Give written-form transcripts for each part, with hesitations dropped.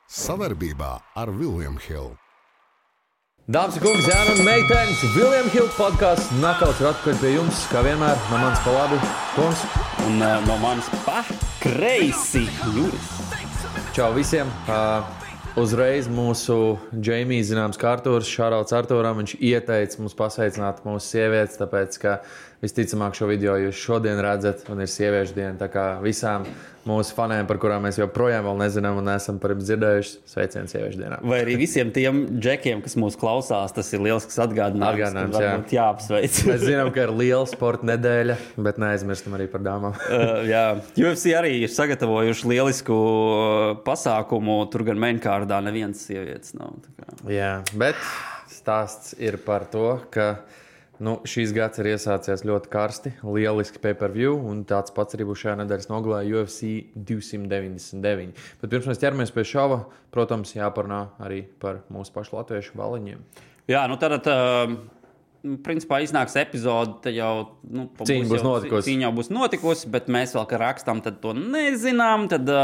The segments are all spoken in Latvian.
Savarbībā ar William Hill. Dāmas un kungi, zēni un meitenes, William Hill podcasts Nakauts ir atpakaļ pie jums, kā vienmēr, no manis pa labi, Toms. Un no manis pa kreisi, Juris. Čau visiem! Uzreiz mūsu Džeimijs zināms kā Artūrs, šārauts Artūram, viņš ieteica mums pasveicināt mūsu sievietes, tāpēc, ka visticamāk šo video jūs šodien redzat, un ir sieviešu diena, tā kā visām mūsu faniem, par kurām mēs joprojām vēl nezinām un neesam par jums dzirdējuši, sveicienu sieviešu dienā. Vai arī visiem tiem džekiem, kas mūs klausās, tas ir lielisks atgādinājums, jāapsveic. Mēs zinām, ka ir liela sporta nedēļa, bet neaizmirstam arī par dāmām. Jā, UFC arī ir sagatavojuši lielisku pasākumu, tur gan mainkārdā nevienas sievietes nav. Jā, bet stāsts ir par to, ka šīs gads ir iesācies ļoti karsti, lieliski pay-per-view, un tāds pats arī būs šajā nedēļas nogalē UFC 299. Bet pirms mēs ķeramies pie šova, protams, jāparunā arī par mūsu pašu latviešu baliņiem. Jā, tad principā iznāks epizode, tad jau cīņa būs notikusi, bet mēs vēl, ka rakstām, tad to nezinām, tad...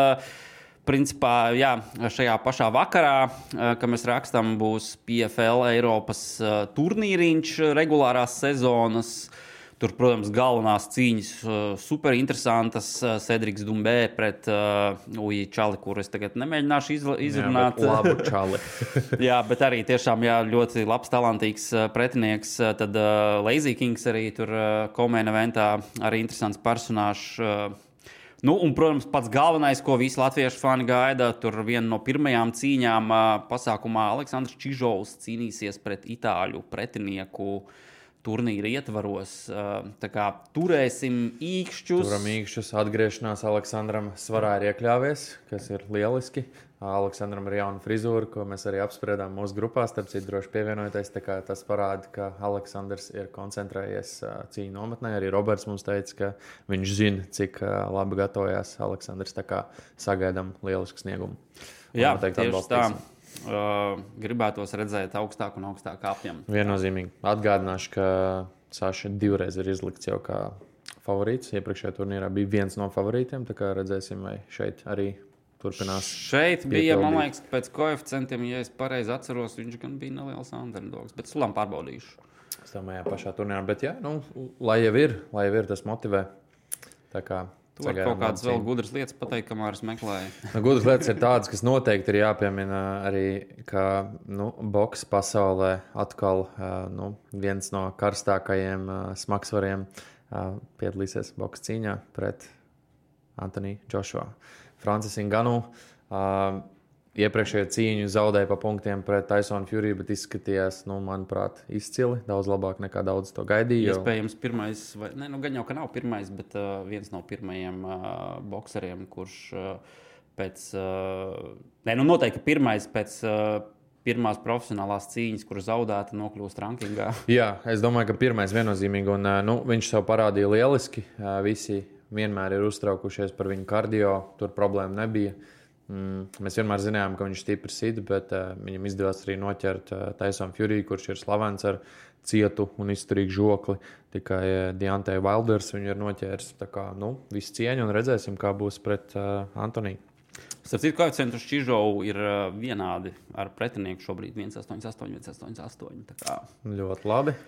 Principā, jā, šajā pašā vakarā, kad mēs rakstām, būs PFL Eiropas turnīriņš regulārās sezonas. Tur, protams, galvenās cīņas superinteresantas. Cedriks Dumbē pret Uji Čali, kur es tagad nemēģināšu izrunāt. Jā, labu Čali. Jā, bet arī tiešām ļoti labs, talantīgs pretinieks. Tad Lazy Kings arī tur co-main eventā, arī interesants personāžs. Un, protams, pats galvenais, ko visi latviešu fani gaida, tur viena no pirmajām cīņām pasākumā Aleksandrs Čižovs cīnīsies pret itāļu pretinieku turnīra ietvaros. Tā kā turēsim īkšķus. Turam īkšķus, atgriešanās Aleksandram svarā ir iekļāvies, kas ir lieliski. Aleksandram ir jauna frizūra, ko mēs arī apspriedām mūsu grupā, starp citu droši pievienojoties, tā kā tas parāda, ka Aleksandrs ir koncentrējies cīņu nometnē. Arī Roberts mums teica, ka viņš zina, cik labi gatavojās Aleksandrs, tā kā sagaidām lielisku sniegumu. Jā, tieši tā. Gribētos redzēt augstāk un augstāk apjām. Viennozīmīgi. Atgādināšu, ka Saša divreiz ir izlikts jau kā favorīts. Iepriekšējā turnīrā bija viens no favorītiem, tā kā redzēsim, vai šeit arī turpinās. Šeit bija, man liekas, pēc koeficientiem, ja es pareizi atceros, viņš gan bija neliels underdogs, bet sulām pārbaudīšu. Es domāju, pašā turnīrā, bet jā, lai jau ir, tas motivē. Tā kā tu var kaut kādas vēl gudras lietas pateikt, kamēr es meklēju. Gudras lietas ir tādas, kas noteikti ir jāpiemina arī, ka boks pasaulē atkal viens no karstākajiem smagsvariem piedalīsies boks cīņā pret Anthony Joshua. Francis Ngannou iepriekšējo cīņu zaudēja pa punktiem pret Tyson Fury, bet izskatījās, manuprāt, izcili. Daudz labāk nekā daudz to gaidīja. Iespējams, pirmais, gan jau, ka nav pirmais, bet viens no pirmajiem bokseriem, kurš pēc... noteikti pirmais pēc pirmās profesionālās cīņas, kur zaudēta, nokļūst rankingā. Jā, es domāju, ka pirmais viennozīmīgi, un viņš sev parādīja lieliski. Visi vienmēr ir uztraukušies par viņu kardio, tur problēma nebija. Mēs vienmēr zinājām, ka viņš stipri sit, bet viņam izdevās arī noķert Tyson Fury, kurš ir slavens ar cietu un izturīgu žokli. Tikai Deontay Wilders viņu ir noķēris. Tā kā, viss cieņa un redzēsim, kā būs pret Antoniju. Starp citu, koeficientus Čižovu ir vienādi ar pretinieku šobrīd 1,88, 1,88. Tā kā ļoti labi.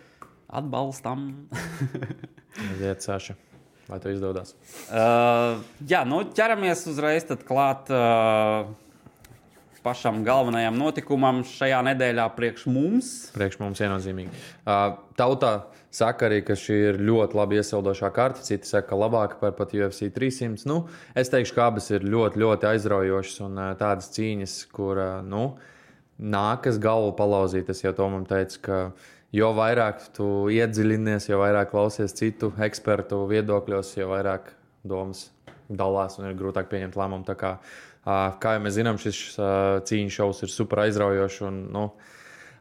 Atbalstam. Aiziet, Saša. Vai to izdodas? Ķeramies uzreiz tad klāt pašam galvenajam notikumam šajā nedēļā priekš mums. Priekš mums viennozīmīgi. Tautā saka arī, ka šī ir ļoti labi iesildošā karta. Citi saka, ka labāka par pat UFC 300. Es teikšu, ka abas ir ļoti, ļoti aizraujošas un tādas cīņas, kur nākas galvu palauzīt. Es jau to man teicu, ka jo vairāk tu iedziļinies, jo vairāk klausies citu ekspertu viedokļos, jo vairāk domas dalās un ir grūtāk pieņemt lēmumu. Tā kā jau mēs zinām, šis cīņu šovs ir super aizraujošs un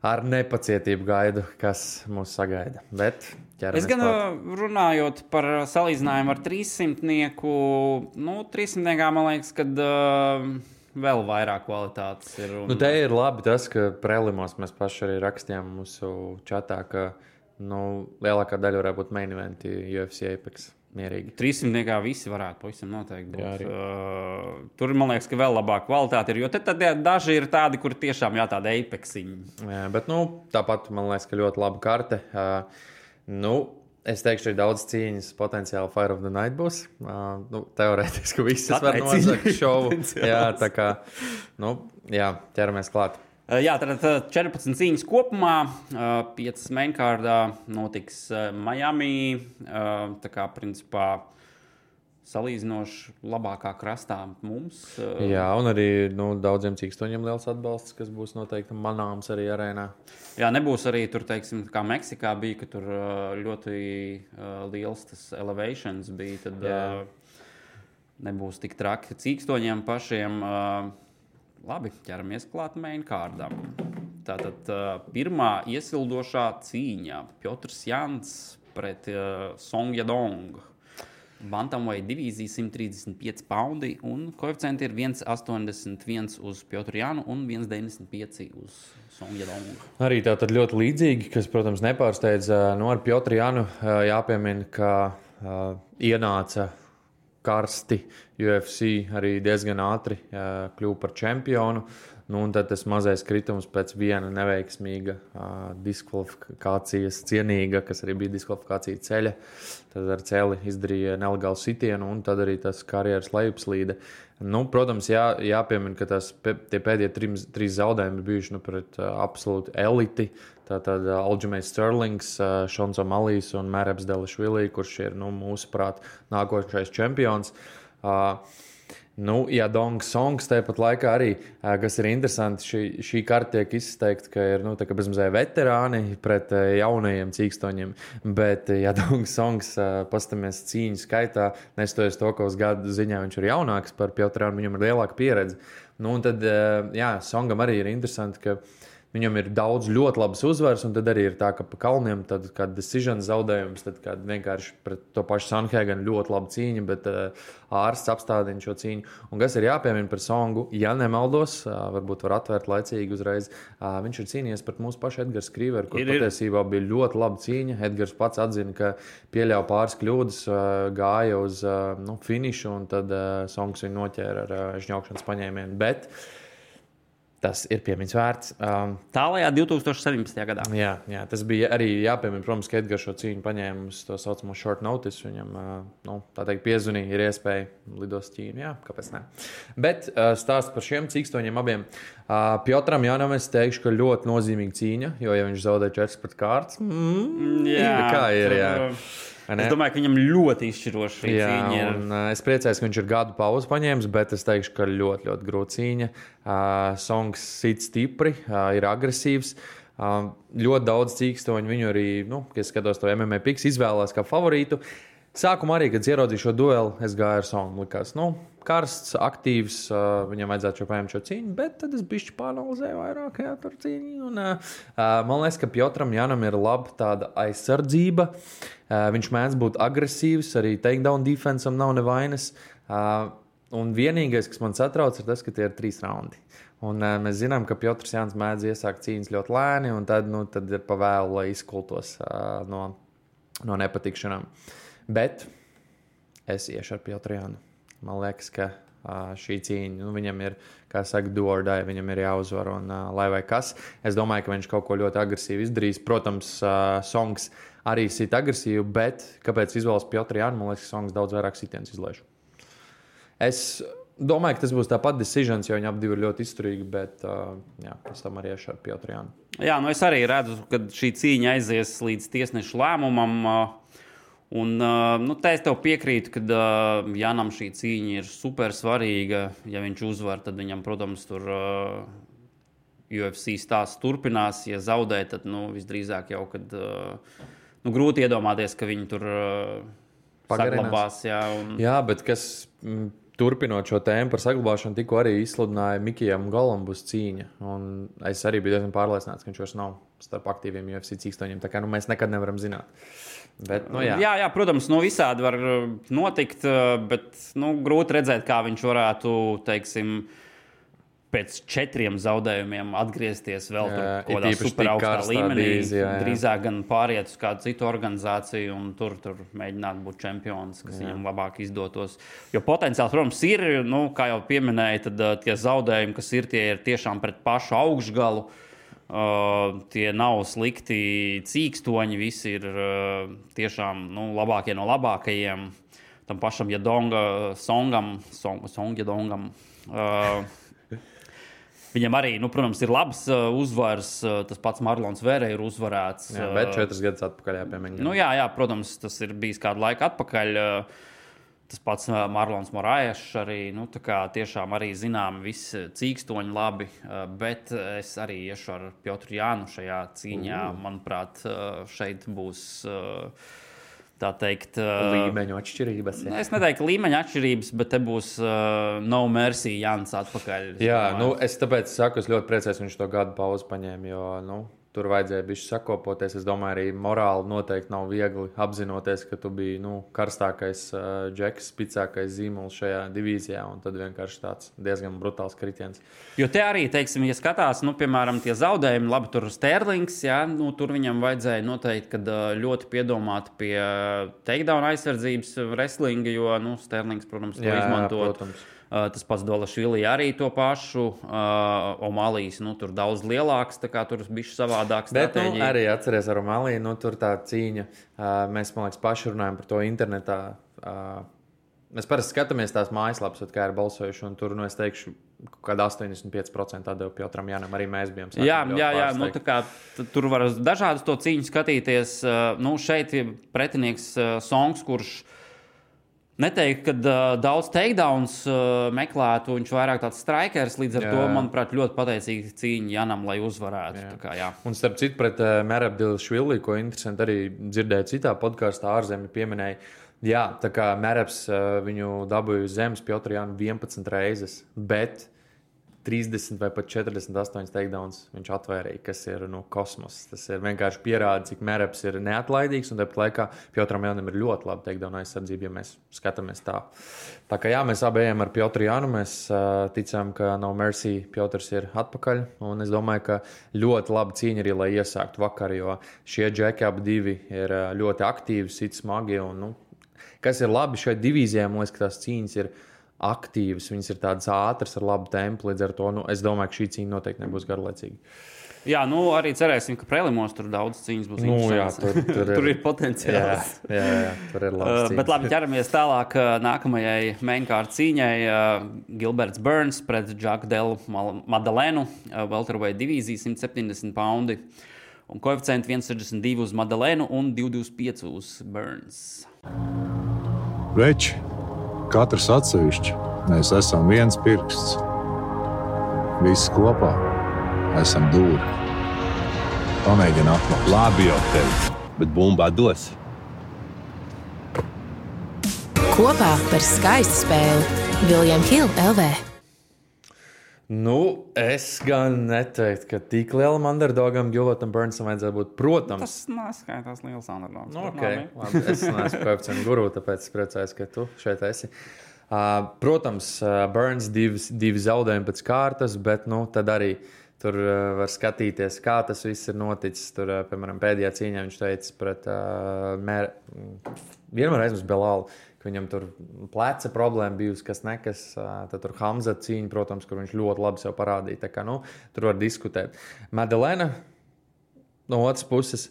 ar nepacietību gaidu, kas mūs sagaida. Bet ķeramies es gan klāt. Runājot par salīdzinājumu ar 300-nieku, 300-niekā man liekas, kad vēl vairāk kvalitātes ir. Te ir labi tas, ka prelimos mēs paši arī rakstījām mūsu čatā, ka lielākā daļa varētu būt main eventi UFC Apex. mierīgi. 300 visi varētu pavisam noteikti būt. Tur, man liekas, ka vēl labāka kvalitāte ir, jo tad daži ir tādi, kuri tiešām tāda apexiņi. Jā, bet, tāpat, man liekas, ka ļoti laba karte. Es teikšu, ir daudz cīņas, potenciāli Fire of the Night būs. Teorētiski visas var nozagt šovu. Jā, tā kā, ķeramies klāt. Jā, tad 14 cīņas kopumā, 5 mainkārdā notiks Miami. Tā kā, principā, salīdzinoši labākā krastā mums. Jā, un arī daudziem cīkstoņiem liels atbalsts, kas būs noteikti manāms arī arēnā. Jā, nebūs arī tur, teiksim, kā Meksikā bija, ka tur ļoti liels tas elevations bija, tad nebūs tik traki cīkstoņiem pašiem. Labi, ķeramies klāt mainkārdam. Tātad pirmā iesildošā cīņa Piotrs Jans pret Song Yadong. Bantamweight divīzija 135 paundi un koeficienti ir 1,81 uz Piotru Jānu un 1,95 uz Song Yadong. Arī tātad ļoti līdzīgi, kas, protams, nepārsteidz. Ar Piotru Jānu jāpiemina, ka ienāca karsti UFC arī diezgan ātri kļuva par čempionu. Un tad tas mazais kritums pēc viena neveiksmīga diskvalifikācijas cienīga, kas arī bija diskvalifikācija ceļa. Tad ar celi izdarīja nelegālu sitienu, un tad arī tas karjeras lejupslīde. Protams, jāpiemina, ka tie pēdējie 3 zaudējumi bijuši pret absolūti eliti. Tātad Aljamains Sterlings, Šons O'Malijs un Mērebs Delišvili, kurš ir mūsuprāt nākošais čempions. Yadong Songs tāpat laikā arī, kas ir interesanti, šī karte tiek izteikta, ka ir bezmazliet veterāni pret jaunajiem cīkstoņiem, bet Yadong Songs, pastamies cīņu skaitā, nestoties to, ka uz gadu ziņā viņš ir jaunāks par Piotru Jānu, viņam ir lielāka pieredze. Un tad, Songam arī ir interesanti, ka viņam ir daudz ļoti labas uzvaras, un tad arī ir tā, ka pa kalniem tad kāda decision zaudējums, tad kāda vienkārši pret to pašu Sanhēganu ļoti laba cīņa, bet ārsts apstādina šo cīņu. Un kas ir jāpiemina par Songu, ja nemaldos, varbūt var atvērt laicīgi uzreiz, viņš ir cīnījies pret mūsu pašu Edgars Krīveru, kur patiesībā bija ļoti laba cīņa. Edgars pats atzina, ka pieļauj pāris kļūdas, gāja uz finišu, un tad Songs viņu noķēra ar žņaukšanas paņēmienu. Bet tas ir piemiņas vērts. Tālajā 2017. gadā. Jā, tas bija arī jāpiemina, protams, ka Edgars šo cīņu paņēma uz to saucamo short notice. Viņam, tā teikt, piezvanīja, ir iespēja lidos Ķīnu. Jā, kāpēc ne? Bet stāsts par šiem cīkstoņiem abiem. Piotram Jānam es teikšu, ka ļoti nozīmīga cīņa, jo, ja viņš zaudē 4 pret kārtas, kā ir, jā. Es domāju, ka viņam ļoti izšķiroši šī cīņa ir. Es priecājos, ka viņš ir gadu pauzi paņēmis, bet es teikšu, ka ļoti, ļoti grūta cīņa. Songs sit stipri, ir agresīvs. Ļoti daudz cīkstoņu viņu arī, kad skatos to MMA piks, izvēlās kā favorītu. Sākumā arī, kad ieraudzīju šo dueli, es gāju ar Songu. Likās, karsts, aktīvs, viņam vajadzētu paņemt šo cīņu, bet tad es bišķi pāranalizēju vairāk tur cīņu. Un, man liekas, ka Piotram Jānam ir laba tāda aizsardzība. Viņš mēdz būt agresīvs, arī takedown defense'am nav nevainas. Un vienīgais, kas man satrauc, ir tas, ka tie ir 3 raundi. Un mēs zinām, ka Piotrs Jāns mēdz iesākt cīņas ļoti lēni, un tad ir pavēlu, lai izkultos no nepatikšanām. Bet es iešu ar Piotru Jānu. Man liekas, ka šī cīņa, viņam ir, kā saka, do or die, viņam ir jāuzvar, un lai vai kas. Es domāju, ka viņš kaut ko ļoti agresīvi izdarīs. Protams, Songs arī sit agresīvi, bet kāpēc izvēlas Piotru Jānu? Man liekas, ka Songs daudz vairāk sitienus izlaiž. Es domāju, ka tas būs tāpat decisions, jo viņi abi ir ļoti izturīgi, bet es tam arī iešu ar Piotru Jānu. Jā, es arī redzu, ka šī cīņa aizies līdz tiesnešu lēmumam. Un, te es tev piekrītu, ka Jānam šī cīņa ir super svarīga. Ja viņš uzvar, tad viņam, protams, tur UFC stāsts turpinās. Ja zaudē, tad visdrīzāk jau, kad grūti iedomāties, ka viņi tur saglabās. Jā, bet kas turpinot šo tēmu par saglabāšanu, tikko arī izsludināja Mikijam Golam būs cīņa. Un es arī biju diezgan pārliecināts, ka viņš vairs nav starp aktīviem UFC cīkstoņiem. Tā kā mēs nekad nevaram zināt. Bet, jā, protams, visādi var notikt, bet grūti redzēt, kā viņš varētu, teiksim, pēc 4 zaudējumiem atgriezties vēl tur kādā superaugstā līmenī. Drīzāk gan pāriet uz kādu citu organizāciju un tur mēģināt būt čempions, kas viņam labāk izdotos. Jo potenciāls, protams, ir, kā jau pieminēja, tad tie zaudējumi, kas ir, tie ir tiešām pret pašu augšgalu. Tie nav slikti cīkstoņi, visi ir tiešām labākie no labākajiem. Tam pašam Song Yadongam. Viņam arī, protams, ir labs uzvars. Tas pats Marlons Vere ir uzvarēts. Jā, bet 4 gadus atpakaļ jāpiemēģina. Jā, protams, tas ir bijis kādu laiku atpakaļ. Tas pats Marlons Moraešs arī, tā kā tiešām arī zinām visi cīkstoņi labi, bet es arī iešu ar Piotru Jānu šajā cīņā. Manuprāt, šeit būs... tā teikt, līmeņu atšķirības. Jā. Es neteiktu līmeņu atšķirības, bet te būs no mercy Jānis atpakaļ. Jā, es tāpēc saku, es ļoti priecājos, viņš to gadu pauzi paņēma, jo, tur vajadzēja bišķi sakopoties. Es domāju, arī morāli noteikti nav viegli apzinoties, ka tu biji, karstākais džeks, spicākais zīmols šajā divīzijā, un tad vienkārši tāds diezgan brutāls kritiens. Jo te arī, teiksim, ja skatās, piemēram, tie zaudējumi, labi, tur Sterlings, jā, tur viņam vajadzēja noteikti, kad ļoti piedomāt pie takedown aizsardzības wrestlinga, jo, Sterlings, protams, to izmantot. Protams. Tas pats Dolašvili arī to pašu. Omalijas, tur daudz lielāks, tā kā tur bišķi savādāk stratēģija. Bet, arī atceries ar Omaliju, tur tā cīņa. Mēs, man liekas, paši runājam par to internetā. Mēs parasti skatāmies tās mājaslapas, kā ir balsojuši, un tur, es teikšu, kāda 85% atdeva Piotram Jānam, arī mēs bijām. Jā, tā kā tur var dažādas to cīņu skatīties. Šeit ir pretinieks Songs, kurš neteikt, ka daudz takedowns meklētu, viņš vairāk tāds strikers, līdz ar to, manuprāt, ļoti pateicīgi cīņa Janam, lai uzvarētu. Tā kā, Un starp citu pret Merab Delašvili, ko interesanti arī dzirdēju citā podkāstā ārzemju pieminēja, tā kā Merabs viņu dabūja uz zemes Piotru Jānu 11 reizes, bet 30 vai pat 48 takedowns viņš atvairīja, kas ir kosmos. Tas ir vienkārši pierāda, cik Merabs ir neatlaidīgs, un tāpat laikā Piotram Jānam ir ļoti laba takedown aizsardzība, ja mēs skatāmies tā. Tā kā mēs abi ejam ar Piotru Jānu, mēs ticam, ka No Mercy Piotrs ir atpakaļ, un es domāju, ka ļoti laba cīņa arī, lai iesāktu vakar, jo šie džeki abi divi ir ļoti aktīvi, sit smagi, un, kas ir labi šai divīzijai, man liekas, ka tās cīņas ir aktīvas, viņas ir tādas ātras ar labu tempu, līdz ar to, es domāju, ka šī cīņa noteikti nebūs garlaicīga. Jā, arī cerēsim, ka prelimos tur daudz cīņas būs interesants. Tur ir potenciāls. Jā, tur ir labs cīņas. Bet labi, ķeramies tālāk nākamajai mainkārt cīņai. Gilberts Burns pret Jack Del Madalenu, welterweight divīzija, 170 poundi. Un koeficienti 1,62 uz Madalenu un 2,25 uz Burns. Veči! Katrs atsevišķi, mēs esam viens pirksts. Visi kopā esam dūri. Pamēģini atklāt. Labi jau tevi, bet bumba dos. Kopā par skaistu spēli William Hill LV. Es gan neteiktu, ka tik lielam underdogam Gilbertam Burnsam vajadzētu būt, protams. Tas neskaitās liels underdogs. Labi, es neesmu koeficientu guru, tāpēc es priecājos, ka tu šeit esi. Protams, Burns divi zaudējumi pēc kārtas, bet tad arī tur var skatīties, kā tas viss ir noticis. Tur, piemēram, pēdējā cīņā viņš teica pret vienmēr aizmirst Belālu, ka viņam tur pleca problēma bijusi, kas nekas. Tad tur Hamza cīņa, protams, kur viņš ļoti labi sev parādīja. Tā kā, tur var diskutēt. Madalena no otras puses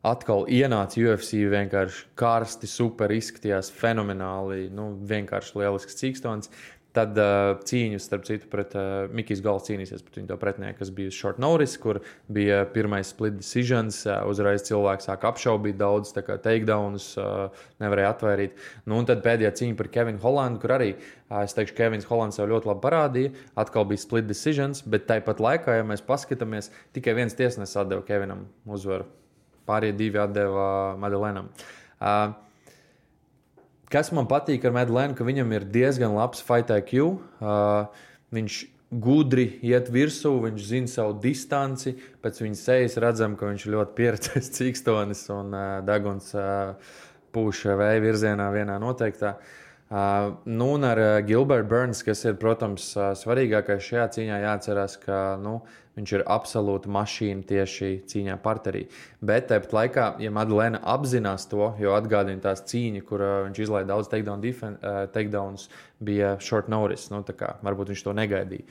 atkal ienāca UFC, vienkārši karsti, super izskatījās, fenomenāli, vienkārši lielisks cīkstons. Tad cīņu, starp citu, pret Mikijs Gals cīnīsies pret viņu to pretinieku, kas bija short notice, kur bija pirmais split decisions. Uzreiz cilvēks sāk apšaubīt daudz, tā kā takedowns nevarēja atvairīt. Un tad pēdējā cīņa par Kevinu Hollandu, kur arī, es teikšu, Kevins Hollands jau ļoti labi parādīja. Atkal bija split decisions, bet tāpat laikā, ja mēs paskatāmies, tikai viens tiesnesis atdeva Kevinam uzvaru. Pārējie divi atdeva Madelenam. Kas man patīk ar Madalenu, ka viņam ir diezgan labs fight IQ. Viņš gudri iet virsū, viņš zina savu distanci. Pēc viņa sejas redzam, ka viņš ir ļoti pieredzējis cīkstonis un deguns pūš vēja virzienā vienā noteiktā. Nu, un ar Gilbertu Burns, kas ir, protams, svarīgākais šajā cīņā, jāatcerās, ka viņš ir absolūta mašīna tieši cīņā parterī. Bet tāpat laikā, ja Madalena apzinās to, jo atgādina tās cīņa, kur viņš izlaiž daudz takedowns, bija short notice. Tā kā varbūt viņš to negaidīja.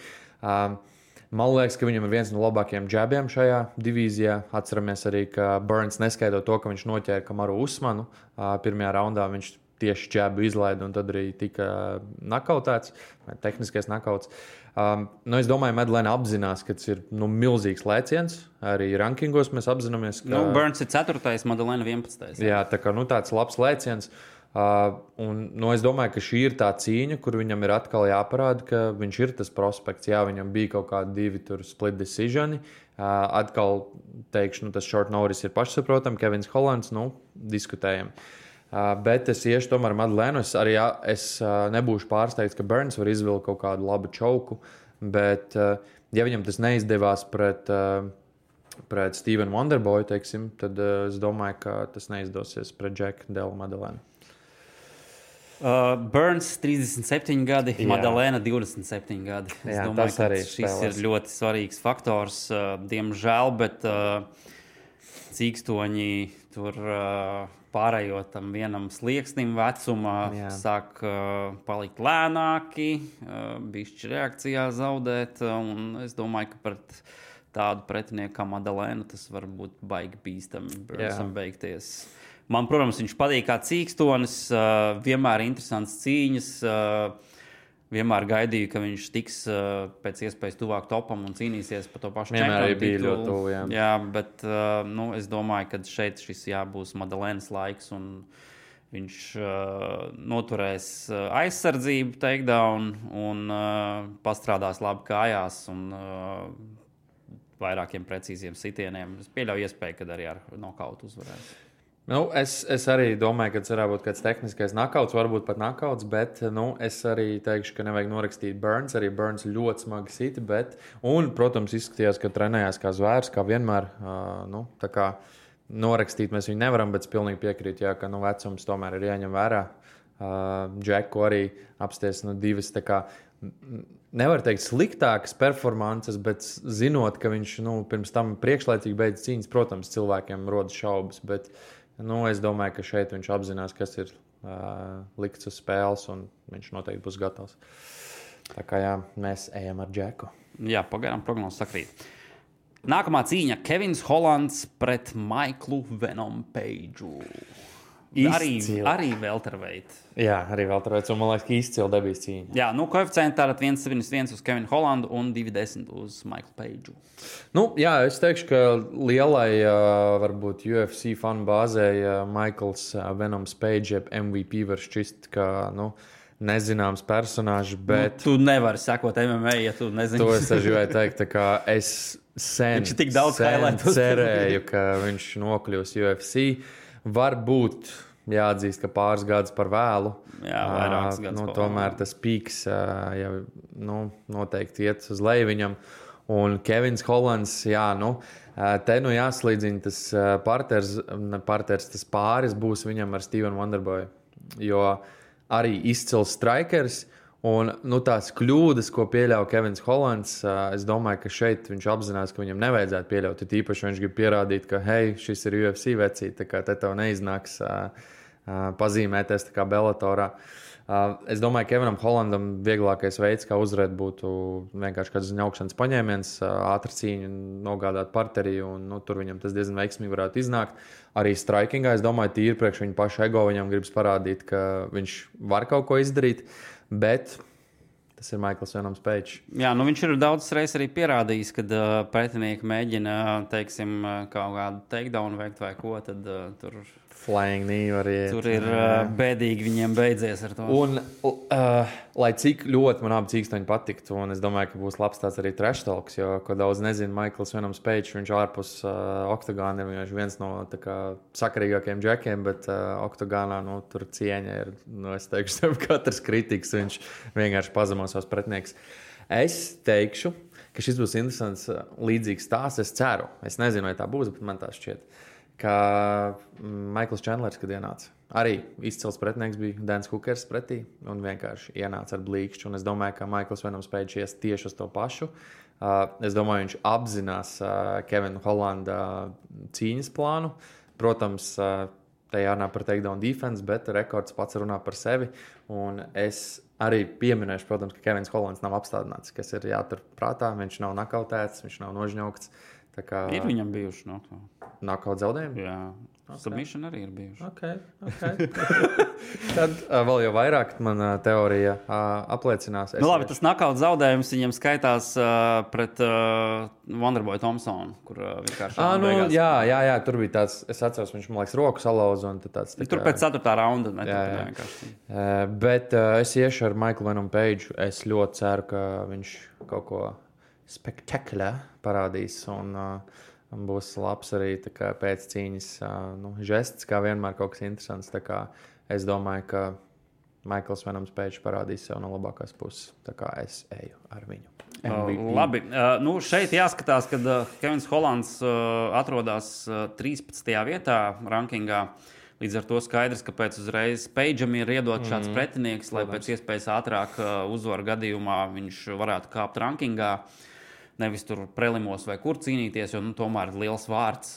Man liekas, ka viņam ir viens no labākajiem džabiem šajā divīzijā. Atceramies arī, ka Burns neskaidro to, ka viņš noķēra Kamaru Usmanu. Pirmajā raundā viņš tieši džabu izlaida un tad arī tika nakautēts, vai tehniskais nakauts. Es domāju, Madalena apzinās, ka tas ir milzīgs lēciens. Arī rankingos mēs apzināmies, ka... Burns ir 4. Madalena 11. Jā, tā kā tāds labs lēciens. Es domāju, ka šī ir tā cīņa, kur viņam ir atkal jāparāda, ka viņš ir tas prospekts. Jā, viņam bija kaut kādi 2 split decisioni. Atkal teikšu, tas short notice ir pašsaprotam. Kevins Hollands, diskutējam. Bet es iešu tomēr Madalenu. Es nebūšu pārsteigts, ka Burns var izvilkt kaut kādu labu čauku, bet ja viņam tas neizdevās pret Stevenu Wonderboyu, teiksim, tad es domāju, ka tas neizdosies pret Jacku Delu Madalenu. Burns 37 gadi, Madalena 27 gadi. Es domāju, ka šis ir ļoti svarīgs faktors. Diemžēl, bet cīkstoņi tur pārējot tam vienam slieksnim vecumā, sāk palikt lēnāki, bišķi reakcijā zaudēt. Un es domāju, ka pret tādu pretinieku kā Madalena tas var būt baigi bīstami Burnsam beigties. Man, protams, viņš patīk kā cīkstonis, vienmēr interesants cīņas. Vienmēr gaidīju, ka viņš tiks pēc iespējas tuvāk topam un cīnīsies par to pašu čempionu titulu. Jā, bet es domāju, ka šeit šis būs Madalenas laiks un viņš noturēs aizsardzību takedown un pastrādās labi kājās un vairākiem precīziem sitieniem. Es pieļauju iespēju, ka arī ar nokautu uzvarēs. Es arī domāju, ka tas varētu būt kāds tehniskais nakauts, varbūt pat nakauts, bet es arī teikšu, ka nevajag norakstīt Burns. Arī Burns ļoti smagi sita, un, protams, izskatījās, ka trenējās kā zvērs, kā vienmēr. Tā kā norakstīt mēs viņu nevaram, bet es pilnīgi piekrītu, ka vecums tomēr ir jāņem vērā. Džeku arī apsties divas, tā kā nevar teikt sliktākas performances, bet zinot, ka viņš pirms tam priekšlaicīgi beidz cīņas, protams, cilvēkiem rodas šaubas, bet es domāju, ka šeit viņš apzinās, kas ir likts uz spēles, un viņš noteikti būs gatavs. Tā kā mēs ejam ar Džeku. Jā, pagaidām prognozes sakrīt. Nākamā cīņa - Kevins Hollands pret Maiklu Venom Pageu. Arī welterweight. Jā, arī welterweight, un man liekas, ka izcila debijas cīņa. Jā, koeficienti tātad 1,71 uz Kevinu Hollandu un 2,10 uz Maiklu Pageu. Es teikšu, ka lielai varbūt UFC fanu bāzei Maikls Venoms Page MVP var šķist, ka, nezināms personāžs, bet... Tu nevari sekot MMA, ja tu nezini. To es gribēju teikt, tā kā es sen cerēju, ka viņš nokļūs UFC. Varbūt jāatzīst, ka pāris gadus par vēlu. Jā, vairākas gadus. Tomēr tas pīks jau noteikti iet uz leju viņam. Un Kevins Hollands, te jāslīdzina tas parters, tas pāris būs viņam ar Stevenu Wonderboyu. Jo arī izcils strikers. Un tās kļūdas, ko pieļauj Kevins Hollands, es domāju, ka šeit viņš apzinās, ka viņam nevajadzētu pieļaut. Tīpaši viņš grib pierādīt, ka, šis ir UFC vecīt, tā kā te tev neiznāks pazīmēties tā kā Bellatorā. Es domāju, ka Kevinam Hollandam vieglākais veids, kā uzvarēt, būtu vienkārši kāds ņaukšanas paņēmiens, ātri cīņu nogādāt parterī, un tur viņam tas diezgan veiksmīgi varētu iznākt. Arī strikingā, es domāju, tīri priekš viņa paša ego, viņam gribas parādīt, ka viņš var kaut ko izdarīt. Bet tas ir Maikls Venoms Page. Jā, viņš ir daudzas reizes arī pierādījis, kad pretinieki mēģina, teiksim, kaut kādu takedown veikt vai ko, tad tur... Flying knee var iet. Tur ir bēdīgi viņiem beidzies ar to. Un, lai cik ļoti man abi cīkstoņi patiktu, un es domāju, ka būs labs tāds arī trash talks, jo, ko daudz nezinu, Maikls Venoms Page, viņš ārpus oktagāna ir viens no tā kā sakarīgākajiem džekiem, bet oktagānā, tur cieņa ir, es teikšu, tev katrs kritiks, viņš vienkārši pazemo savus pretinieks. Es teikšu, ka šis būs interesants līdzīgs stāsts, es ceru. Es nezinu, vai tā būs, bet man tā šķiet. Ka Maikls Čendlers, kad ienāca Arī izcils pretinieks bija Dans Hookers pretī un vienkārši ienāca ar blīkšķu. Un es domāju, ka Maikls Venoms Page ies tieši uz to pašu. Es domāju, viņš apzinās Kevina Hollanda cīņas plānu. Protams, te jārunā par takedown defense, bet rekords pats runā par sevi. Un es arī pieminēšu, protams, ka Kevins Hollands nav apstādināts, kas ir jātur prātā. Viņš nav nakautēts, viņš nav nožņaukts. Ir viņam bijuši knockout zaudējumi? Jā. Submission arī ir bijuši. Okay. Tad vēl jau vairāk man teorija apliecinās. Labi, tas knockout zaudējums viņam skaitās pret Wonderboy Thompsonu, kur vienkārši beigās. Jā, tur bija tāds, es atceros, viņš, man liekas, roku salauza un tāds. Tur pēc 4. raunda. Bet es iešu ar Michael Venom Page. Es ļoti ceru, ka viņš kaut ko spektakulāru parādīs un būs labs arī pēc cīņas žests, kā vienmēr kaut kas interesants. Es domāju, ka Michaels Venoms Page parādīs sev no labākās puses. Tā kā es eju ar viņu. MVP. Labi, šeit jāskatās, kad Kevins Hollands atrodas 13. vietā rankingā. Līdz ar to skaidrs, ka pēc uzreiz Pageam ir iedot šāds pretinieks, lai pēc iespējas ātrāk uzvaru gadījumā viņš varētu kāpt rankingā. Nevis tur prelimos vai kur cīnīties, jo tomēr ir liels vārds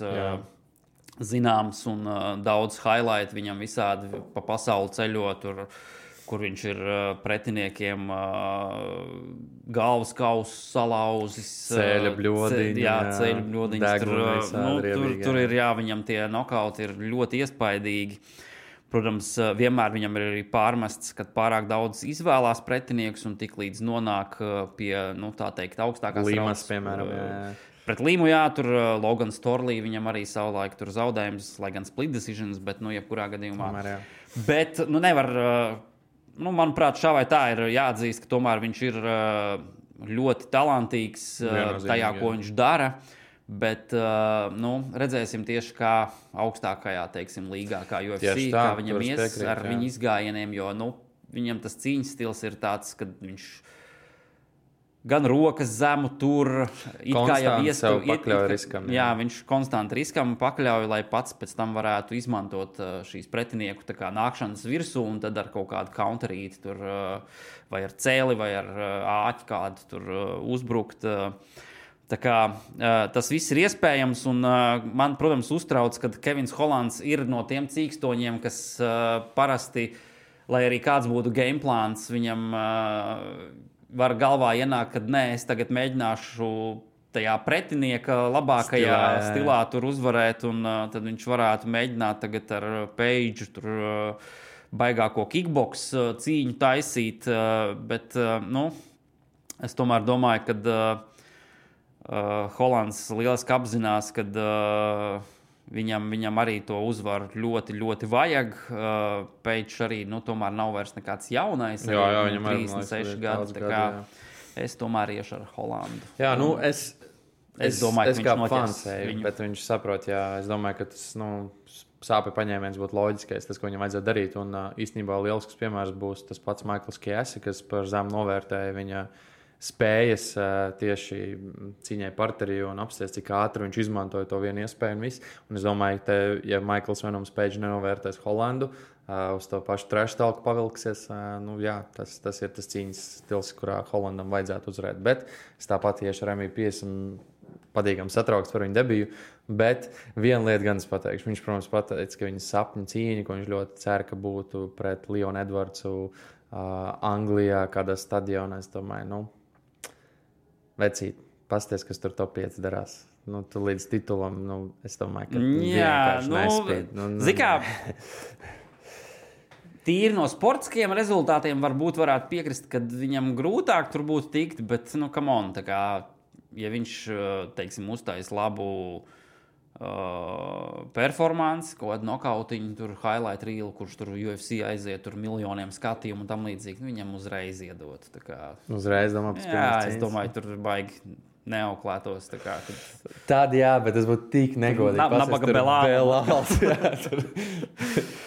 zināms un daudz highlight viņam visādi pa pasauli ceļot, kur viņš ir pretiniekiem galvas kausu salauzis. Ceļa bļodiņi. Ceļa bļodiņas. Tur ir, viņam tie nokauti ir ļoti iespaidīgi. Protams, vienmēr viņam ir arī pārmests, kad pārāk daudz izvēlās pretinieks un tik līdz nonāk pie, tā teikt, augstākās Līmas, piemēram, jā. Pret Līmu, tur Logan Storley viņam arī savulaik tur zaudējums, lai gan split decisions, bet, jebkurā gadījumā. Tomēr, bet, nevar, manuprāt, šā vai tā ir jāatzīst, ka tomēr viņš ir ļoti talantīgs tajā, ko viņš dara. Bet redzēsim tieši kā augstākajā, teiksim, līgā, kā UFC, kā viņam ies ar viņu izgājieniem, jo viņam tas cīņas stils ir tāds, kad viņš gan rokas zemu tur, pakļauj riskam. Jā, viņš konstanti riskam pakļauj, lai pats pēc tam varētu izmantot šīs pretinieku tā kā nākšanas virsū un tad ar kaut kādu counterīti tur vai ar cēli vai ar āķi kādu tur uzbrukt. Tā kā tas viss ir iespējams, un man, protams, uztrauc, ka Kevins Hollands ir no tiem cīkstoņiem, kas parasti, lai arī kāds būtu gameplāns, viņam var galvā ienākt, ka nē, es tagad mēģināšu tajā pretinieka labākajā stilā tur uzvarēt, un tad viņš varētu mēģināt tagad ar Page tur baigāko kickbox cīņu taisīt, bet, es tomēr domāju, ka Hollands lieliski apzinās, ka viņam arī to uzvaru ļoti, ļoti vajag. Page arī tomēr nav vairs nekāds jaunais. Jā, viņam ir 36 gadi. Es tomēr iešu ar Hollandu. Jā, es domāju, ka viņš noķers, bet viņš saprot, es domāju, ka tas sāpju paņēmiens būtu loģiskais, tas, ko viņam vajadzētu darīt. Un īstenībā lielisks piemērs būs tas pats Michaels Chiesi, kas par zemu novērtēja viņa spējas tieši cīņai parterī un apsties, cik ātri viņš izmantoja to vienu iespēju un visu. Un es domāju, ka, ja Michaels Venoms Page nenovērtēs Hollandu, uz to pašu trash talku pavilksies, tas ir tas cīņas stils, kurā Hollandam vajadzētu uzvarēt. Bet es tāpat iešu ar MVP, esmu patīkami satraukts par viņu debiju, bet viena lieta gan es pateikšu. Viņš, protams, pateica, ka viņa sapņu cīņa, ko viņš ļoti cer, ka būtu pret Leonu Edvardsu Anglijā, kādā stadionā, es domāju, vecīt, pasties, kas tur top 5 darās. Tu līdz titulam, es domāju, ka vienkārši nespēj. Zikā, tīri no sportiskiem rezultātiem varbūt varētu piekrist, ka viņam grūtāk tur būtu tikt, bet, come on, tā kā, ja viņš, teiksim, uztais labu performance, kaut kādu nokautiņu, tur highlight reel, kurš tur UFC aiziet, tur miljoniem skatījumu un tam līdzīgi, viņam uzreiz iedot. Uzreiz, domāju, pēc jā, es domāju, tur baigi neauklētos. Tad jā, bet tas būtu tik negodīgi. Nabaga Belāls.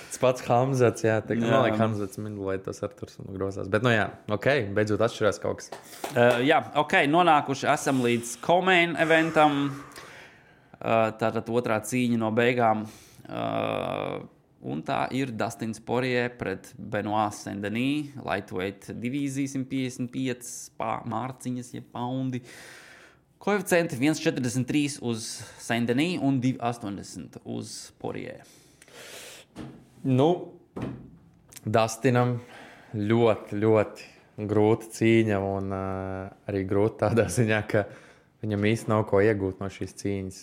Tas pats Hamzats, jā. Man liekas, Hamzats minulēt tos Arturs un grozās. Bet, beidzot atšķirās kaut kas. Nonākuši esam līdz co-main eventam. Tātad otrā cīņa no beigām. Un tā ir Dustins Poirier pret Benoit Saint-Denis, lightweight divīzija 155 mārciņas, ja paundi. Koeficienti 1,43 uz Saint-Denis un 2,80 uz Poirier. Dustinam ļoti, ļoti grūta cīņa un arī grūta tādā ziņā, ka viņam īsti nav ko iegūt no šīs cīņas.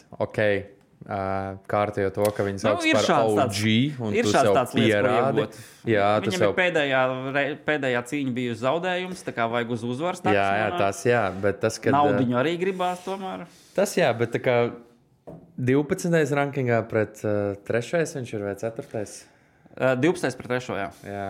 Kārtējo to, ka viņi sauc par OG, un tu sev pierādi. Jā, viņam ir pēdējā cīņa bija uz zaudējums, tā kā vajag uz uzvaras. Jā, bet tas, kad... Naudiņu arī gribās tomēr. Tas jā, bet tā kā 12. rankingā pret 3. viņš ir vai 4. 12. pret 3. Jā,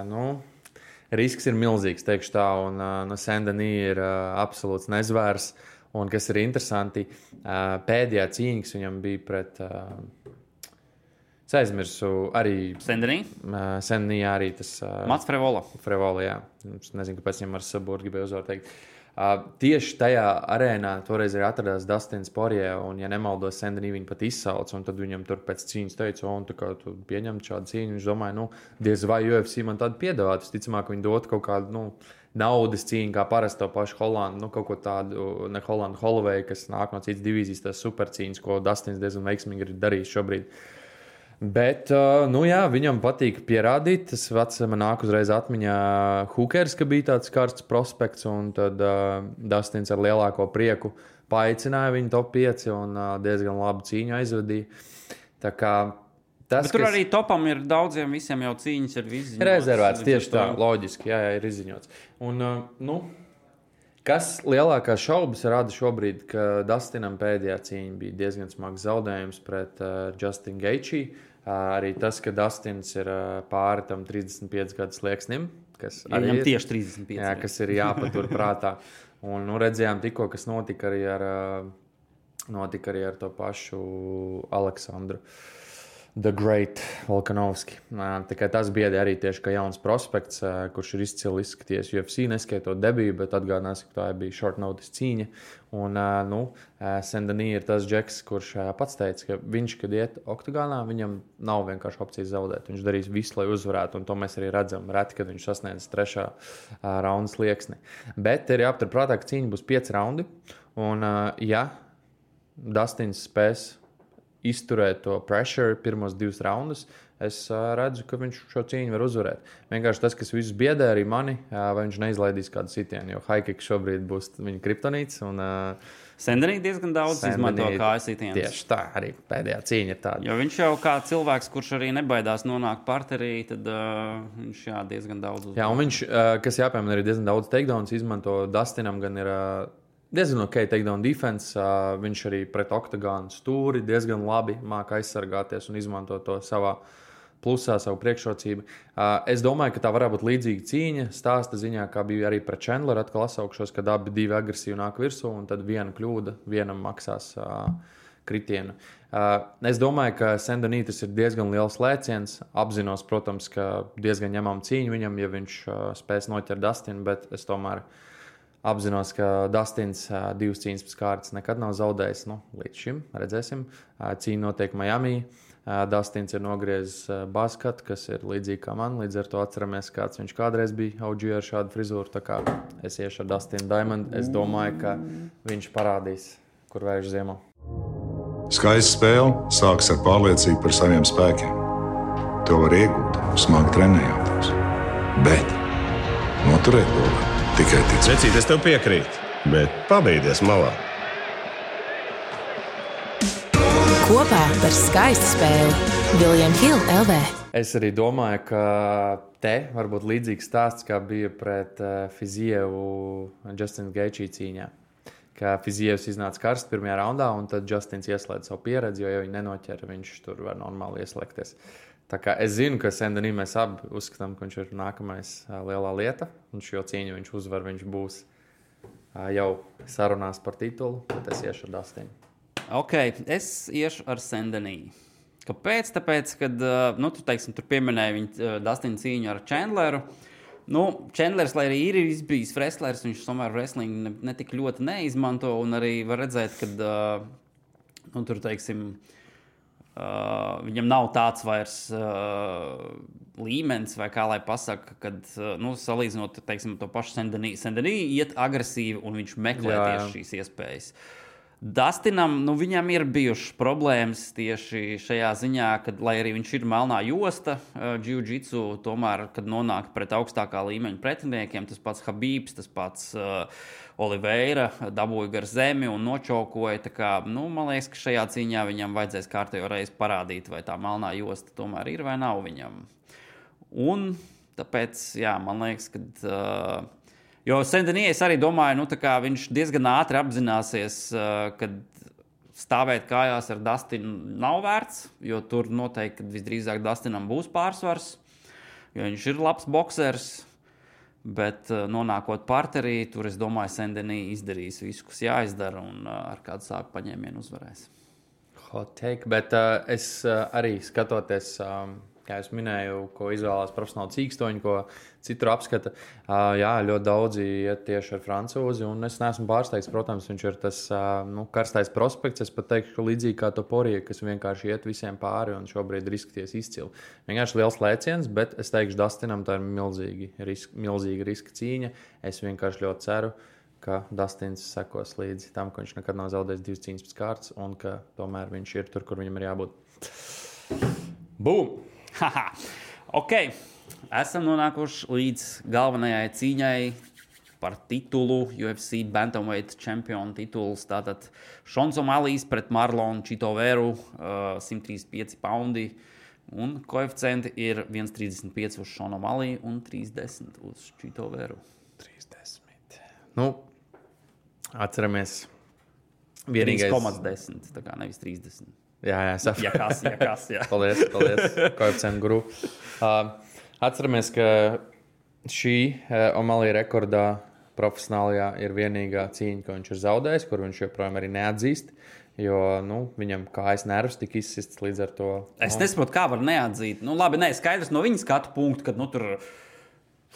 risks ir milzīgs, teikšu tā, un Saint-Denis ir absolūts nezvērs. Un kas ir interesanti, pēdējā cīņa, kas viņam bija pret, es aizmirsu, arī Saint-Denis? Saint-Denis arī tas... Mats Frevola. Frevola, jā. Es nezinu, kāpēc viņam ar Saburu gribēju uzvaru teikt. Tieši tajā arēnā toreiz arī atradās Dustins Poirier, un, ja nemaldos, Saint-Denis viņu pat izsauc, un tad viņam tur pēc cīņas teica, un tu pieņem šādu cīņu, viņš domāja, diez vai UFC man tādu piedāvāt, visticamāk, viņi dot kaut kādu, naudas cīņu, kā parasti to pašu Holandu, kaut ko tādu, ne Holandu, Holloway, kas nāk no citas divīzijas, tās supercīņas, ko Dustins diezgan veiksmīgi ir darījis šobrīd. Bet, viņam patīk pierādīt. Tas vats man nāk uzreiz atmiņā Hookers, ka bija tāds karsts prospekts, un tad Dustins ar lielāko prieku paaicināja viņu top 5 un diezgan labu cīņu aizvadīja. Tā kā tas, bet tur arī topam ir daudziem, visiem jau cīņas ir izziņots. Rezervēts, tieši tā, loģiski, jā, ir izziņots. Un, kas lielākās šaubas rada šobrīd, ka Dustinam pēdējā cīņa bija diezgan smags zaudējums pret Justin Gaethje. Arī tas, ka Dustins ir pāri tam 35 gadu slieksnim, kas arī ir tieši 35. Jā, kas ir jāpatur prātā. Un redzējām tikko, kas notika arī ar to pašu Aleksandru The Great Volkanovski. Tas biedē arī tieši kā jauns prospekts, kurš ir izcili izskaties UFC, neskaitot debiju, bet atgādināsim, ka tā bija short notice cīņa. Un, Saint-Denis ir tas džeks, kurš pats teica, ka viņš, kad iet oktagānā, viņam nav vienkārši opcijas zaudēt. Viņš darīs visu, lai uzvarētu, un to mēs arī redzam reti, kad viņš sasniedz 3. raunda slieksni. Bet ir jāaptur prātā, ka cīņa būs 5 raundi, un ja Dustins spēs izturēt to pressure pirmos 2 raundus, es redzu, ka viņš šo cīņu var uzvarēt. Vienkārši tas, kas visus biedē arī mani, vai viņš neizlaidīs kādu sitienu, jo high kick šobrīd būs viņa kriptonīts. Saint-Denis diezgan daudz izmanto kājas sitienus. Tieši tā, arī pēdējā cīņa ir tāda. Jo viņš jau kā cilvēks, kurš arī nebaidās nonākt parterī, tad viņš diezgan daudz uzmanīja. Jā, un viņš, kas jāpiemina, arī diezgan daudz takedowns izmanto. Dustinam gan ir diezgan ok takedown defense, viņš arī pret oktagānu stūri diezgan labi māk aizsargāties un izmanto to savā plusā, savu priekšrocību. Es domāju, ka tā varētu būt līdzīga cīņa, stāsta ziņā, kā bija arī pret Chandleru, atkal asaukšos, kad abi divi agresīvi nāk virsū, un tad viena kļūda vienam maksās kritienu. Es domāju, ka Saint-Denis tas ir diezgan liels lēciens, apzinos, protams, ka diezgan ņemam cīņu viņam, ja viņš spēs noķert Dustinu, bet es tomēr apzinos, ka Dustins 2 cīņas pēc kārtas nekad nav zaudējis. Līdz šim redzēsim. Cīņa notiek Miami. Dustins ir nogriezis buzzcut, kas ir līdzīgi kā man. Līdz ar to atceramies, kāds viņš kādreiz bija OG ar šādu frizūru. Tā kā es iešu ar Dustinu Diamond. Es domāju, ka viņš parādīs, kur vērš ziemā. Skaista spēle sākas ar pārliecību par saviem spēkiem. To var iegūt, smagi trenējoties. Bet noturēt to var tikai ticēt. Vecīt, es tev piekrītu, bet pabeigties malā. Kopā par skaistu spēli William Hill LV. Es arī domāju, ka te var būt līdzīgs stāsts, kā bija pret Fizievu Justin Gaethje cīņā. Ka Fizievs iznāca karsts pirmajā raundā, un tad Justins ieslēdz savu pieredzi, jo, ja viņi nenoķera, viņš tur var normāli ieslēgties. Tā kā es zinu, ka Saint-Denis mēs abi uzskatām, ka viņš ir nākamais lielā lieta, un šo cīņu viņš uzvar, viņš būs jau sarunās par titulu, bet es iešu ar Dustinu. Ok, es iešu ar Saint-Denis. Kāpēc? Tāpēc, kad tu pieminēji viņa Dustina cīņu ar Chandleru. Chandlers, lai arī ir bijis wrestlers, viņš tomēr wrestling netik ļoti neizmanto, un arī var redzēt, kad tur, teiksim, Viņam nav tāds vairs līmenis, vai kā lai pasaka, kad, salīdzinot, teiksim, to pašu Saint-Denis iet agresīvi un viņš meklē tieši šīs iespējas. Dustinam, viņam ir bijušas problēmas tieši šajā ziņā, kad, lai arī viņš ir melnā josta, jiu-jitsu, tomēr, kad nonāk pret augstākā līmeņa pretiniekiem, tas pats Habibs, tas pats Oliveira dabūja gar zemi un nočaukoja. Tā kā, man liekas, ka šajā cīņā viņam vajadzēs kārtējo reizi parādīt, vai tā melnā josta tomēr ir vai nav viņam. Un tāpēc, man liekas, ka... Jo Saint-Denis arī domāju, tā kā viņš diezgan ātri apzināsies, ka stāvēt kājās ar Dustinu nav vērts, jo tur noteikti, kad visdrīzāk Dustinam būs pārsvars, jo viņš ir labs boksers, bet nonākot parterī, tur es domāju, Saint-Denis izdarīs visu, kas jāizdara un ar kādu sāku paņēmienu uzvarēs. Hot take, bet es arī skatoties... Kā es minēju, ko izvēlās profesionāli cīkstoņi, ko citur apskata. Ļoti daudzi iet tieši ar francūzi, un es neesmu pārsteigts. Protams, viņš ir tas karstais prospekts. Es pat teikšu, ka līdzīgi kā Toporija, kas vienkārši iet visiem pāri un šobrīd riskties izcili. Vienkārši liels lēciens, bet es teikšu, Dustinam tā ir milzīga riska cīņa. Es vienkārši ļoti ceru, ka Dustins sekos līdzi tam, ka viņš nekad nav zaudējis 2 cīņas pēc kārtas, un ka tomēr viņš ir tur, kur viņam ir jābūt. Bum! Ok, esam nonākuši līdz galvenajai cīņai par titulu, UFC Bantamweight čempionu tituls. Tātad Šons O'Malijs pret Marlonu Chitoveru, 135 paundi. Un koeficienti ir 1,35 uz Šonu O'Maliju un 3,10 uz Chitoveru. 3,10. Atceramies. Vienīgais 3,10, tā kā nevis 30. Jā, sapratu. Ja kas. Paldies, koeficientu guru. Atceramies, ka šī O'Malley rekordā profesionālajā ir vienīgā cīņa, ko viņš ir zaudējis, kur viņš joprojām arī neatzīst, jo viņam kājas nervs tika izsists līdz ar to. Es nesaprotu, kā var neatzīt. Labi, skaidrs no viņa skatu punktu, kad tur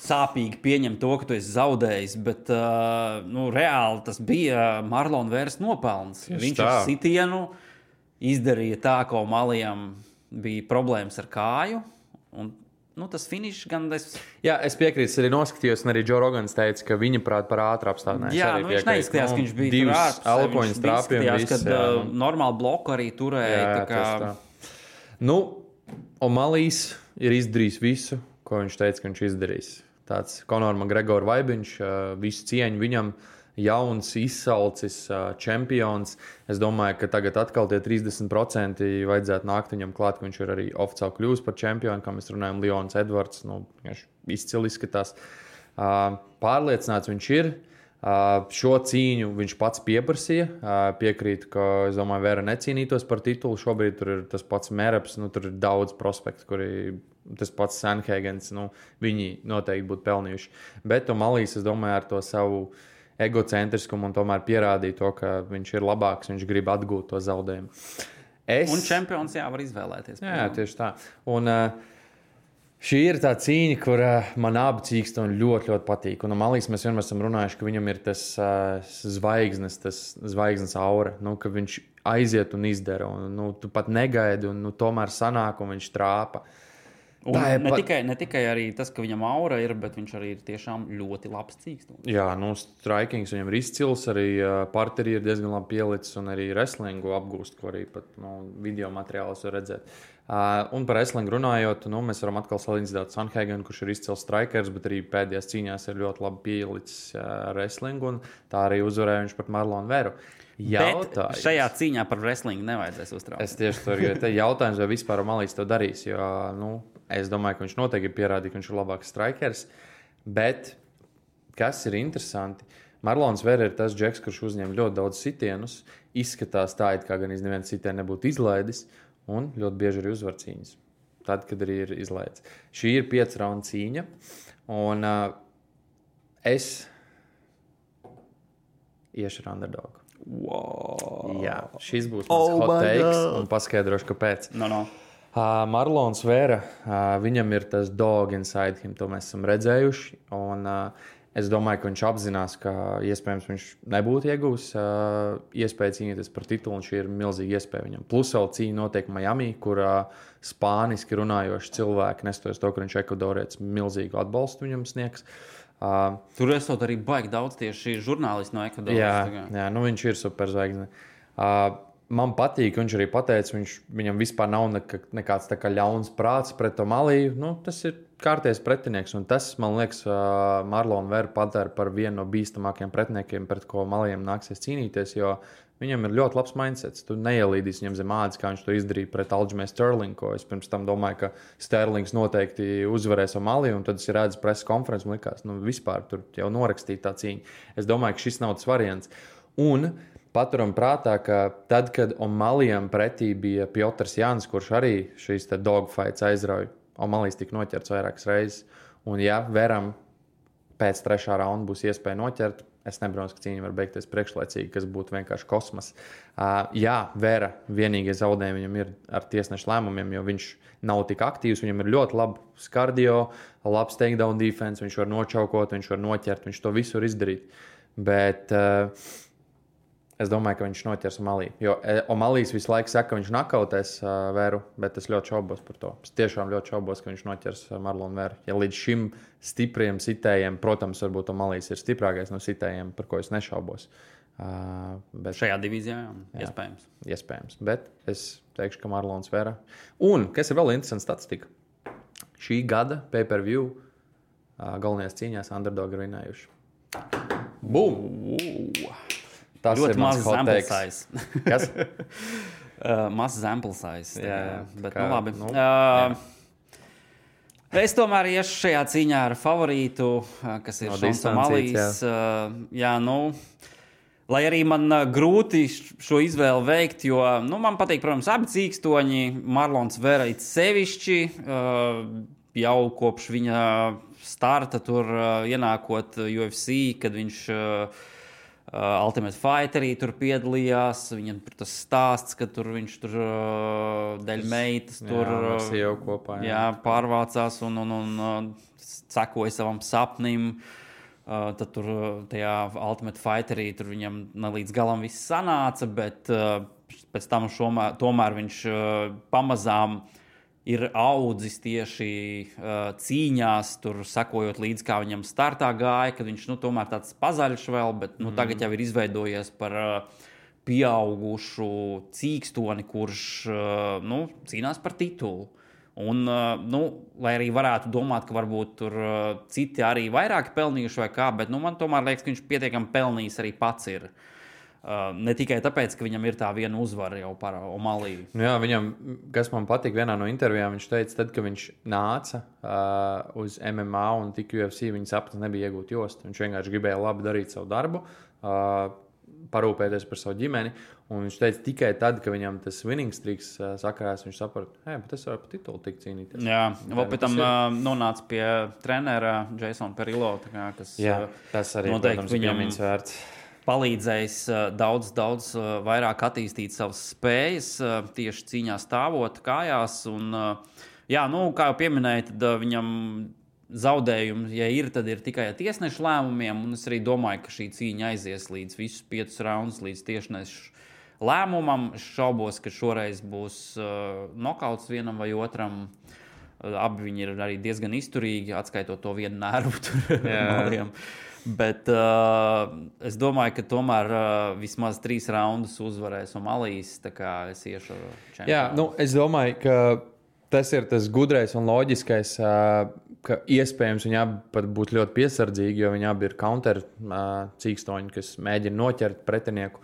sāpīgi pieņem to, ka tu esi zaudējis, bet reāli tas bija Marlona Veras nopelns. Viņš ar sitienu izdarīja tā, ka O'Malijam bija problēmas ar kāju, un tas finišs gan... Jā, es piekrītu, es arī noskatījos, un arī Joe Rogans teica, ka viņa prāt par ātru apstādinājumu. Jā, viņš neizskatījās, ka viņš bija tur ārpus. Elkoņas trāpījumi, kad normāli bloku arī turēja. Jā, tā. O'Mallijs ir izdarījis visu, ko viņš teica, ka viņš izdarīs. Tāds Conor McGregor vaibiņš, visu cieņu viņam, jauns, izsalcis čempions. Es domāju, ka tagad atkal tie 30% vajadzētu nākt viņam klāt, ka viņš ir arī oficiāli kļūst par čempionu, kā mēs runājam, Leons Edvards, izcili izskatās. Pārliecināts viņš ir. Šo cīņu viņš pats pieprasīja. Piekrītu, ka, es domāju, Vera necīnītos par titulu. Šobrīd tur ir tas pats Mereps, tur ir daudz prospektu, kuri tas pats Sanhagens, viņi noteikti būtu pelnījuši. Bet O'Malijs, es domāju, ar to savu egocentriskumu un tomēr pierādīja to, ka viņš ir labāks, viņš grib atgūt to zaudējumu. Un čempions var izvēlēties. Jā, tieši tā. Un šī ir tā cīņa, kur man abi cīkstoņi ļoti, ļoti patīk. Un O'Malijs mēs vienmēr esam runājuši, ka viņam ir tas zvaigznes aura, ka viņš aiziet un izdara. Un, tu pat negaidi un tomēr sanāk un viņš trāpa. Un ne tikai arī tas, ka viņam aura ir, bet viņš arī ir tiešām ļoti labs cīkstons. Jā, strikings viņam ir izcils, arī parteri ir diezgan labi pielicis un arī wrestlingu apgūst, ko arī pat video materiālos var redzēt. Un par wrestlingu runājot, mēs varam atkal salīdzināt Sanhagenu, kurš ir izcils strikers, bet arī pēdējās cīņās ir ļoti labi pielicis wrestlingu, un tā arī uzvarēja viņš pret Marlonu Veru. Bet šajā cīņā par wrestlingu nevajadzēs uztraukt. Es tieši tur gribēju jautājums, vai vispār O'Malijs to darīs, jo, es domāju, ka viņš noteikti ir pierādījis, ka viņš ir labāks strikers, bet kas ir interesanti, Marlons Vera ir tas džeks, kurš uzņem ļoti daudz sitienus, izskatās tā, it kā gan neviens sitienu nebūtu izlaidis, un ļoti bieži arī uzvar cīņas. Tad, kad arī ir izlaidis. Šī ir 5 raundu cīņa, un es iešu ar underdogu. Wow. Jā, šis būs mans hot takes, un paskaidrošu, kāpēc. Marlons Vera, viņam ir tas dog inside him, to mēs esam redzējuši, un Es domāju, ka viņš apzinās, ka iespējams viņš nebūtu iegūs iespēju cīnīties par titulu, un šī ir milzīga iespēja viņam. Plus vēl cīņa notiek Miami, kur spāniski runājoši cilvēki, nestoties to, ka viņš ekvadorietis, milzīgu atbalstu viņam sniegs. Tur esot arī baigi daudz tieši žurnālisti no Ekvadoras. Jā, nu viņš ir superzvaigzne. Man patīk, viņš arī pateica, viņam vispār nav nekāds tā kā ļauns prāts pret to Maliju. Nu, tas ir kārties pretinieks, un tas, man liekas, Marlonu Veru padara par vienu no bīstamākajiem pretiniekiem, pret ko Malijam nāksies cīnīties, jo viņam ir ļoti labs mindsets. Tu neielīdīsi viņam zem ādas, kā viņš to izdarīja pret Aljamainu Sterlingu, ko es pirms tam domāju, ka Sterlings noteikti uzvarēs Maliju, un tad es redzu preses konferenci un likās, nu vispār tur jau norakstīja tā cīņa. Es domāju, ka šis nav tas variants. Un paturam prātā, ka tad, kad Omalijam pretī bija Piotrs Jānis, kurš arī šīs dogfights aizrauja, Omalijs tika noķerts vairākas reizes. Un ja Veram pēc 3. raunda būs iespēja noķert, es nebrīnos, ka cīņa var beigties priekšlaicīgi, kas būtu vienkārši kosmos. Jā, Vera vienīgie zaudējumi viņam ir ar tiesnešu lēmumiem, jo viņš nav tik aktīvs, viņam ir ļoti labs kardio, labs takedown defense, viņš var nočaukot, viņš var noķert, viņš to visu var izdarīt. Bet es domāju, ka viņš noķers Omaliju. Jo Omalijs visu laiku saka, ka viņš nakautēs Veru, bet es ļoti šaubos par to. Es tiešām ļoti šaubos, ka viņš noķers Marlonu Veru. Ja līdz šim stipriem sitējiem, protams, varbūt Omalijs ir stiprākais no sitējiem, par ko es nešaubos. Bet šajā divīzijā, iespējams. Iespējams, bet es teikšu, ka Marlons Vera. Un, kas ir vēl interesants statistika, šī gada pay-per-view galvenajās cīņās underdog ir vinējuši. Bum! Tas ļoti ir mans sample size. Kas? Mazs sample size. Jā, bet kā, nu labi. Jā. Es tomēr iešu šajā cīņā ar favorītu, kas ir No Šons distancijas, Omalijs. Lai arī man grūti šo izvēli veikt, jo man patīk, protams, abi cīkstoņi. Marlons Vera it sevišķi jau kopš viņa starta tur ienākot UFC, kad viņš Ultimate Fighterī tur piedalījās. Viņam tur tas stāsts, ka tur viņš tur dēļ meitas tur kopā, pārvācās un sekoja savam sapnim. Tad tur tajā Ultimate Fighterī tur viņam līdz galam viss sanāca, bet pēc tam tomēr viņš pamazām ir audzis tieši cīņās, tur sekojot līdz, kā viņam startā gāja, kad viņš tomēr tāds pazaļš vēl, bet tagad jau ir izveidojies par pieaugušu cīkstoni, kurš cīnās par titulu. Un, lai arī varētu domāt, ka varbūt tur citi arī vairāk pelnījuši vai kā, bet man tomēr liekas, ka viņš pietiekami pelnījis arī pats ir. Ne tikai tāpēc, ka viņam ir tā viena uzvara jau par Omaliju. Jā, viņam, kas man patīk vienā no intervijām, viņš teica, tad, kad viņš nāca uz MMA un tika UFC, viņa sapnis nebija iegūt jostu. Viņš vienkārši gribēja labi darīt savu darbu, parūpēties par savu ģimeni. Un viņš teica, tikai tad, kad viņam tas winning streaks sakarās, viņš saprata, bet es varu par titulu tik cīnīties. Jā, vēl pēc tam nonāca pie trenera Jasona Perillo, kas tas arī, protams, viņam ir vērts. Palīdzējis daudz vairāk attīstīt savas spējas, tieši cīņā stāvot kājās. Un, kā jau pieminēju, tad viņam zaudējumi, ja ir, tad ir tikai tiesnešu lēmumiem. Un es arī domāju, ka šī cīņa aizies līdz visus 5 raundus, līdz tiesnešu lēmumam. Es šaubos, ka šoreiz būs nokauts vienam vai otram. Abi viņi ir arī diezgan izturīgi, atskaitot to vienu nervu tur. Bet es domāju, ka tomēr vismaz 3 raundus uzvarēs Omalijs, tā kā es iešu čempionu. Jā, es domāju, ka tas ir tas gudrais un loģiskais, ka iespējams viņi abi pat būtu ļoti piesardzīgi, jo viņi abi ir counter cīkstoņi, kas mēģina noķert pretinieku.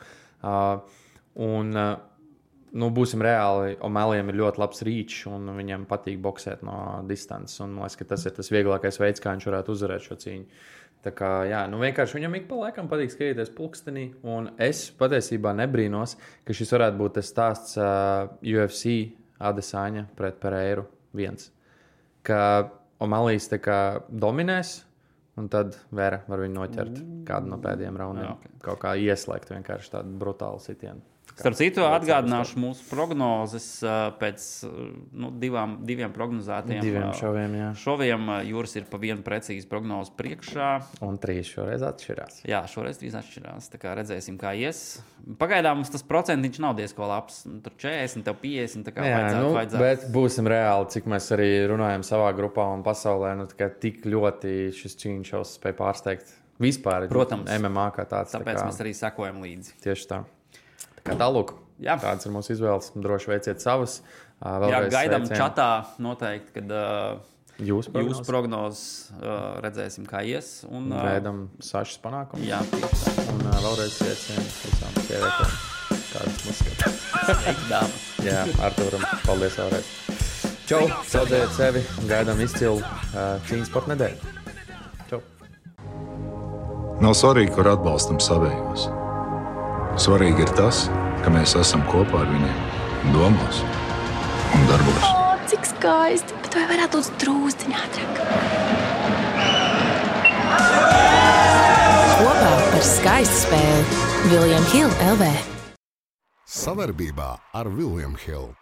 Būsim reāli, Omalijam ir ļoti labs reach, un viņam patīk boksēt no distances. Un man liekas, ka tas ir tas vieglākais veids, kā viņš varētu uzvarēt šo cīņu. Tā kā, vienkārši viņam ik pa laikam patīk skatīties pulkstenī, un es patiesībā nebrīnos, ka šis varētu būt tas stāsts UFC Adesanya pret Pereiru 1. Ka Omalijs tā kā dominēs, un tad Vera var viņu noķert kādu no pēdējiem raundiem. Kaut kā ieslēgt vienkārši tādu brutālu sitienu. Starp citu, atgādināšu mūsu prognozes pēc diviem prognozētiem. Šoviem Jūras ir pa vienu precīzi prognozu priekšā. Un 3 šoreiz atšķirās. Jā, šoreiz 3 atšķirās. Tā kā redzēsim, kā ies. Pagaidām mums tas procentiņš nav diezko labs. Tur 40, tev 50, tā kā vajadzētu. Bet būsim reāli, cik mēs arī runājam savā grupā un pasaulē. Tik ļoti šis cīņšaus spēja pārsteigt vispār. Protams. MMA kā tāds. Tāpēc mēs arī sekojam līdzi. Tieši tā. Tālūk, kādas ir mūsu izvēles, droši veiciet savas. Gaidām čatā noteikti, kad jūsu prognozes redzēsim, kā ies. Un gaidām Sašas panākumus. Jā, tieši tā. Un vēlreiz sveicienu visām sievietēm, kādas mums skatās. Jā, Artūram, paldies vēlreiz. Čau, saudzējiet sevi, gaidām izcilu cīņas sporta nedēļu. Čau. Nav svarīgi, kur atbalstam savējos. Svarīgi ir tas, ka mēs esam kopā ar viņiem domās un darbos. Cik skaisti, bet vai varētu būt drūzdiņā ātrāk? Kopā par skaistu spēli William Hill LV. Savarbībā ar William Hill.